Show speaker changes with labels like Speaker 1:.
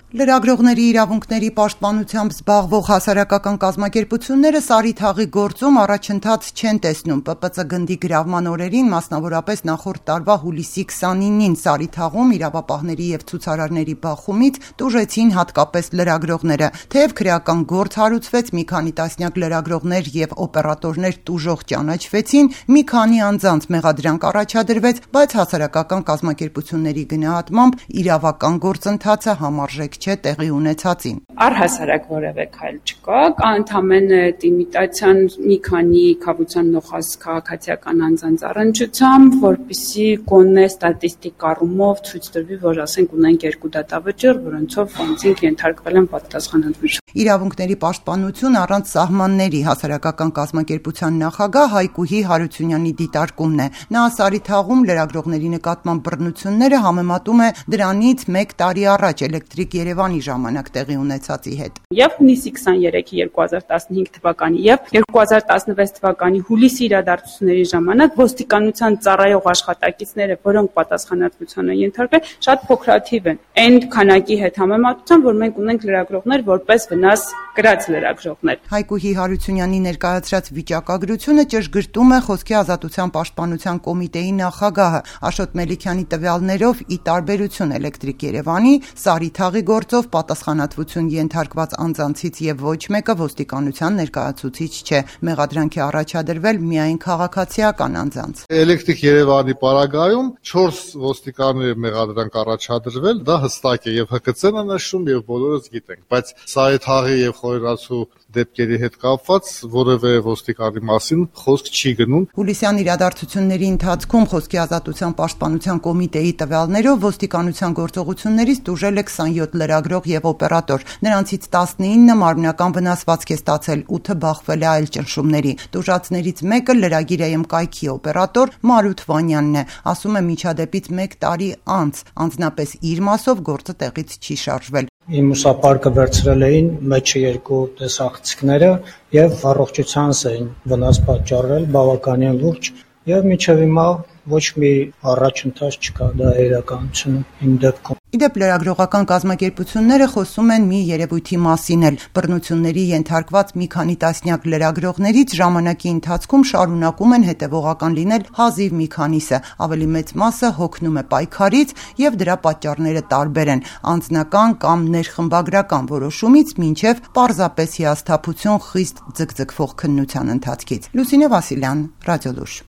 Speaker 1: Լրագրողների իրավունքների պաշտպանությամբ զբաղվող հասարակական կազմակերպությունները Սարի թաղի գործում առաջընթաց չեն տեսնում։ ՊՊԾ գնդի գրավման օրերին, մասնավորապես նախորդ տարվա հուլիսի 29-ին Սարի թաղում իրավապահների եւ ցուցարարների բախումից տուժեցին հատկապես լրագրողները։ Թեև քրեական գործ հարուցվեց, մի քանի տասնյակ լրագրողներ եւ օպերատորներ տուժող ճանաչվեցին, մի քանի անձանց մեղադրանք առաջադրվեց, բայց հասարակական կազմակերպությունների գնահատմամբ իրավական գործընթացը համարժեք չէ տեղի ունեցածին։
Speaker 2: Առհասարակ որևէ քայլ չկա, կա ընդամենը իմիտացիան մի քանի քաղաքացիական նոխազ քաղաքացիական անձանց առնչությամբ, որպեսզի գոնե ստատիստիկ առումով ցույց տրվի, որ ասենք ունենք երկու դատավճիռ, որոնցով անձինք ենթարկվել են պատասխանատվության։
Speaker 1: Իրավունքների պաշտպանություն առանց սահմանների հասարակական կազմակերպության նախագահ Հայկուհի Հարությունյանի դիտարկումն է։ Նա Սարի թաղում լրագրողների նկատմամբ բռնությունները համեմատում է դրանից 1 տարի առաջ Էլեկտրիկ Երևանի ժամանակ տեղի ունեցածի հետ։
Speaker 2: Եվ հունիսի 23-ի 2015 թվականի եւ 2016 թվականի հուլիսի իրադարձությունների ժամանակ ոստիկանության ծառայող աշխատակիցները, որոնք պատասխանատվության են ենթարկվել, շատ փոքրաթիվ են։ Այն քանակի հետ համեմատությամբ, որ մենք ունենք լրագրողներ որպես վնաս կրած լրագրողներ։
Speaker 1: Հայկուհի Հարությունյանի ներկայացրած վիճակագրությունը ճշգրտում է Խոսքի ազատության պաշտպանության կոմիտեի նախագահը։ Աշոտ Մելիքյանի տվյալներով, ի տարբերություն Էլեկտրիկ Երևանի, Սարի թաղի գործով պատասխանատվություն ենթարկված անձանցից եւ ոչ մեկը ոստիկանության ներկայացուցիչ չէ։ Մեղադրանք է առաջադրվել միայն քաղաքացիական անձանց։
Speaker 3: Էլեկտրիկ Երևանի պարագայում 4 ոստիկանների մեղադրանք առաջադրվել, դա հստակ է եւ ՀԿՑ-ն է նշում եւ բոլորս գիտենք, բայց Սարի թաղի եւ Խորենացու դեպքերի հետ կապված որևէ ոստիկանի մասին խոսք չի գնում։
Speaker 1: Հուլիսյան իրադարձությունների ընթացքում Խոսքի ազատության պաշտպանության կոմիտեի տվյալներով ոստիկանության գործողություններից տուժել է 27 լրագրող եւ օպերատոր։ Նրանցից 19-ը մարմնական վնասվածք է ստացել, 8-ը բախվել է այլ ճնշումների։ Տուժածներից մեկը լրագիր AM կայքի օպերատոր Մարութ Վանյանն է, ասում է միջադեպից 1 տարի անց, անձնապես իր մասով գործը տեղից չի շարժվել։
Speaker 4: Իմ ուսապարկը վերցրել էին մեջը 2 տեսախցիկները եւ առողջությանս էին վնաս պատճառել բավականին լուրջ եւ մինչեւ հիմա ոչ մի առաջընթաց չկա, դա իրականությունը իմ դեպքում։
Speaker 1: Իդեպ լրագրողական կազմակերպությունները խոսում են մի երևույթի մասին էլ։ Բռնությունների ենթարկված մի քանի տասնյակ լրագրողներից ժամանակի ընթացքում շարունակում են հետևողական լինել հազիվ մի քանիսը, ավելի մեծ մասը հոգնում է պայքարից եւ դրա պատճառները տարբեր են՝ անձնական կամ ներխմբագրական որոշումից մինչեւ պարզապես հիասթափություն խիստ ձգձգվող քննության ընթացքից։ Լուսինե Վասիլյան, Ռադիոլուր։